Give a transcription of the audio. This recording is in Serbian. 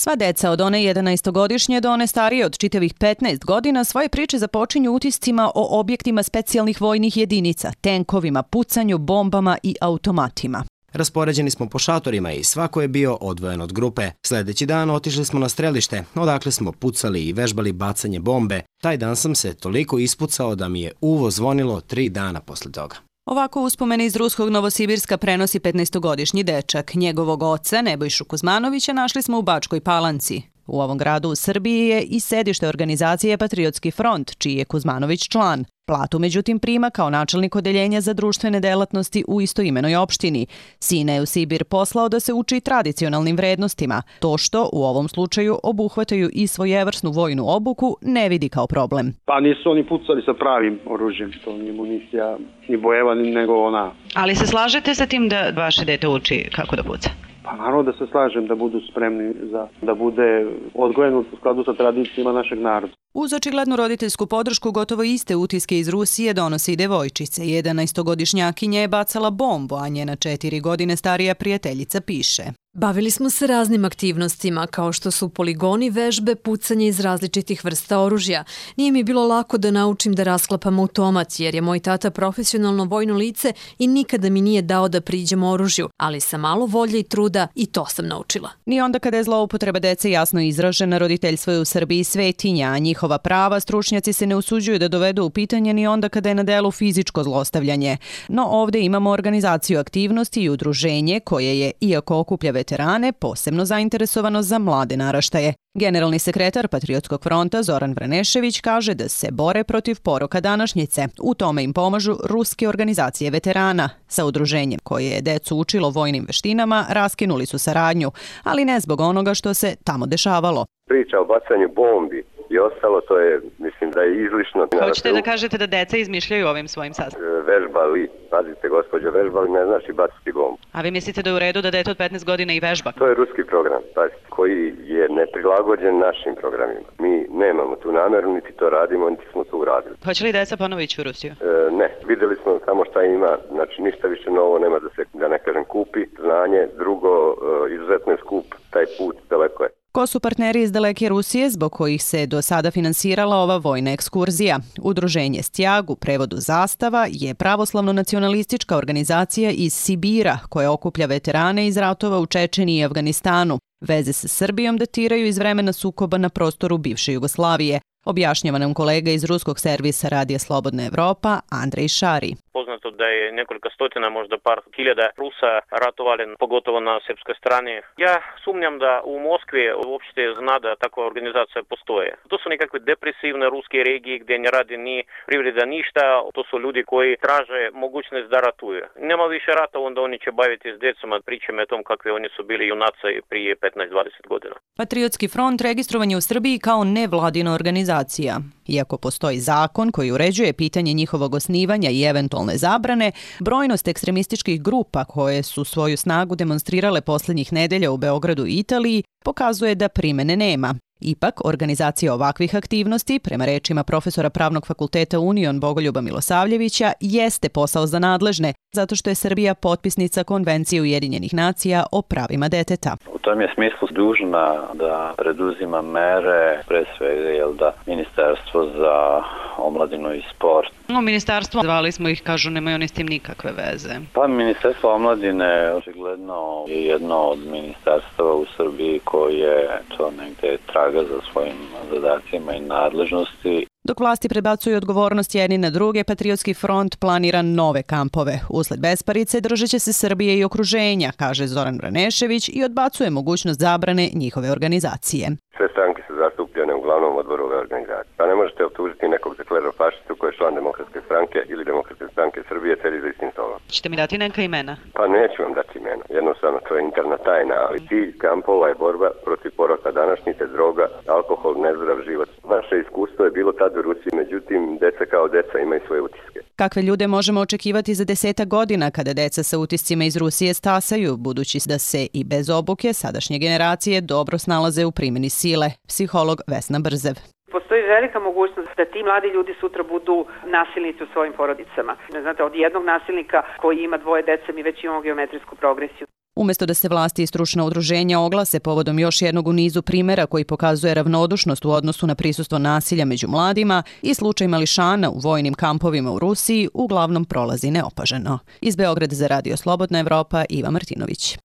Sva deca od one 11-godišnje do one starije od čitavih 15 godina svoje priče započinju utiscima o objektima specijalnih vojnih jedinica, tenkovima, pucanju, bombama i automatima. Raspoređeni smo po šatorima i svako je bio odvojen od grupe. Sledeći dan otišli smo na strelište, odakle smo pucali i vežbali bacanje bombe. Taj dan sam se toliko ispucao da mi je uvo zvonilo 3 dana posle toga. Ovako uspomene iz ruskog Novosibirska prenosi 15-godišnji dečak. Njegovog oca, Nebojšu Kuzmanovića, našli smo u Bačkoj Palanci. U ovom gradu u Srbiji je i sedište organizacije Patriotski front, čiji je Kuzmanović član. Platu, međutim, prima kao načelnik odeljenja za društvene delatnosti u istoimenoj opštini. Sina je u Sibir poslao da se uči tradicionalnim vrednostima. To što, u ovom slučaju, obuhvataju i svojevrsnu vojnu obuku, ne vidi kao problem. Pa nisu oni pucali sa pravim oružjem, to nije municija, ni bojeva, nego ona. Ali se slažete sa tim da vaše dete uči kako da puca? Pa naravno da se slažem da budu spremni da bude odgojen u skladu sa tradicijama našeg naroda. Uz očiglednu roditeljsku podršku gotovo iste utiske iz Rusije donose i devojčice. 11-godišnjakinja je bacala bombu, a njena 4 godine starija prijateljica piše. Bavili smo se raznim aktivnostima, kao što su poligoni, vežbe, pucanje iz različitih vrsta oružja. Nije mi bilo lako da naučim da rasklapam automat, jer je moj tata profesionalno vojno lice i nikada mi nije dao da priđem oružju, ali sa malo volje i truda i to sam naučila. Ni onda kada je zloupotreba dece jasno izražena, roditeljstvo je u Srbiji svetinja, a njihova prava stručnjaci se ne usuđuju da dovedu u pitanje ni onda kada je na delu fizičko zlostavljanje. No ovde imamo organizaciju aktivnosti i udruženje koje je, iako okuplja veterane, posebno zainteresovano za mlade naraštaje. Generalni sekretar Patriotskog fronta Zoran Vranešević kaže da se bore protiv poroka današnjice. U tome im pomažu ruske organizacije veterana. Sa udruženjem koje je decu učilo vojnim veštinama raskinuli su saradnju, ali ne zbog onoga što se tamo dešavalo. Priča o bacanju bombi i ostalo, to je, mislim da je izlišno. Hoćete da kažete da deca izmišljaju ovim svojim sastavima? Vežbali, pazite gospođo, vežbali ne znači baciti bombu. A vi mislite da je u redu da dete od 15 godina i vežba? To je ruski program, pazite, koji je neprilagođen našim programima. Mi nemamo tu nameru, niti to radimo, niti smo to uradili. Hoće li deca ponovo ići u Rusiju? Ne, videli smo samo šta ima, znači ništa više novo nema da se, da ne kažem, kupi. Znanje, drugo, izuzetno je skup, taj put daleko je. Ko su partneri iz daleke Rusije zbog kojih se do sada finansirala ova vojna ekskurzija? Udruženje Stjag, u prevodu Zastava, je pravoslavno-nacionalistička organizacija iz Sibira koja okuplja veterane iz ratova u Čečeniji i Afganistanu. Veze sa Srbijom datiraju iz vremena sukoba na prostoru bivše Jugoslavije. Objašnjava nam kolega iz ruskog servisa Radija Slobodna Evropa, Andrej Šari. Poznato da je nekoliko stotina, možda par hiljada Rusa ratovali, pogotovo na srpskoj strani. Ja sumnjam da u Moskvi uopšte zna da takva organizacija postoje. To su nekakve depresivne ruske regije gdje ne radi ni privreda ništa. To su ljudi koji traže mogućnost da ratuju. Nema više rata, onda oni će baviti s decom, pričamo o tom kakvi oni su bili junaci prije 15-20 godina. Patriotski front registrovan je u Srbiji kao nevladina organizacija. Iako postoji zakon koji uređuje pitanje njihovog osnivanja i eventualne zabrane, brojnost ekstremističkih grupa koje su svoju snagu demonstrirale posljednjih nedelja u Beogradu i Italiji pokazuje da primene nema. Ipak, organizacija ovakvih aktivnosti, prema rečima profesora Pravnog fakulteta Union Bogoljuba Milosavljevića, jeste posao za nadležne, zato što je Srbija potpisnica Konvencije Ujedinjenih nacija o pravima deteta. U tom je smislu dužna da preduzima mere, pre svega da Ministarstvo za omladinu i sport. Ministarstvo, zvali smo ih, kažu, nemaju oni s tim nikakve veze. Pa Ministarstvo omladine očigledno je jedno od ministarstava u Srbiji koje to negde traga za svojim zadacima i nadležnosti. Dok vlasti prebacuju odgovornost jedni na druge, Patriotski front planira nove kampove. Usled besparice držat će se Srbije i okruženja, kaže Zoran Vranešević i odbacuje mogućnost zabrane njihove organizacije. Sve stranke su zastupljene u glavnom odboru ove organizacije. Pa ne možete optužiti nekog za klerofašistu koji je član Demokratske stranke ili Demokratske stranke Srbije sedi za istim stolom. Ćete mi dati neka imena? Pa neću vam dati imena. Jednostavno, to je interna tajna, ali cilj kampova je borba protiv poroka današnjice, droga, alkohol, nezdrav život. Naše iskustvo je bilo tad u Rusiji, međutim, deca kao deca imaju svoje utiske. Kakve ljude možemo očekivati za 10 godina kada deca sa utiscima iz Rusije stasaju, budući da se i bez obuke sadašnje generacije dobro snalaze u primjeni sile? Psiholog Vesna Brzev. Postoji velika mogućnost da ti mladi ljudi sutra budu nasilnici u svojim porodicama. Znate, od jednog nasilnika koji ima 2 dece mi već imamo geometrijsku progresiju. Umjesto da se vlasti i stručna udruženja oglase povodom još jednog u nizu primjera koji pokazuje ravnodušnost u odnosu na prisustvo nasilja među mladima, i slučaj mališana u vojnim kampovima u Rusiji uglavnom prolazi neopaženo. Iz Beograda za Radio Slobodna Evropa, Iva Martinović.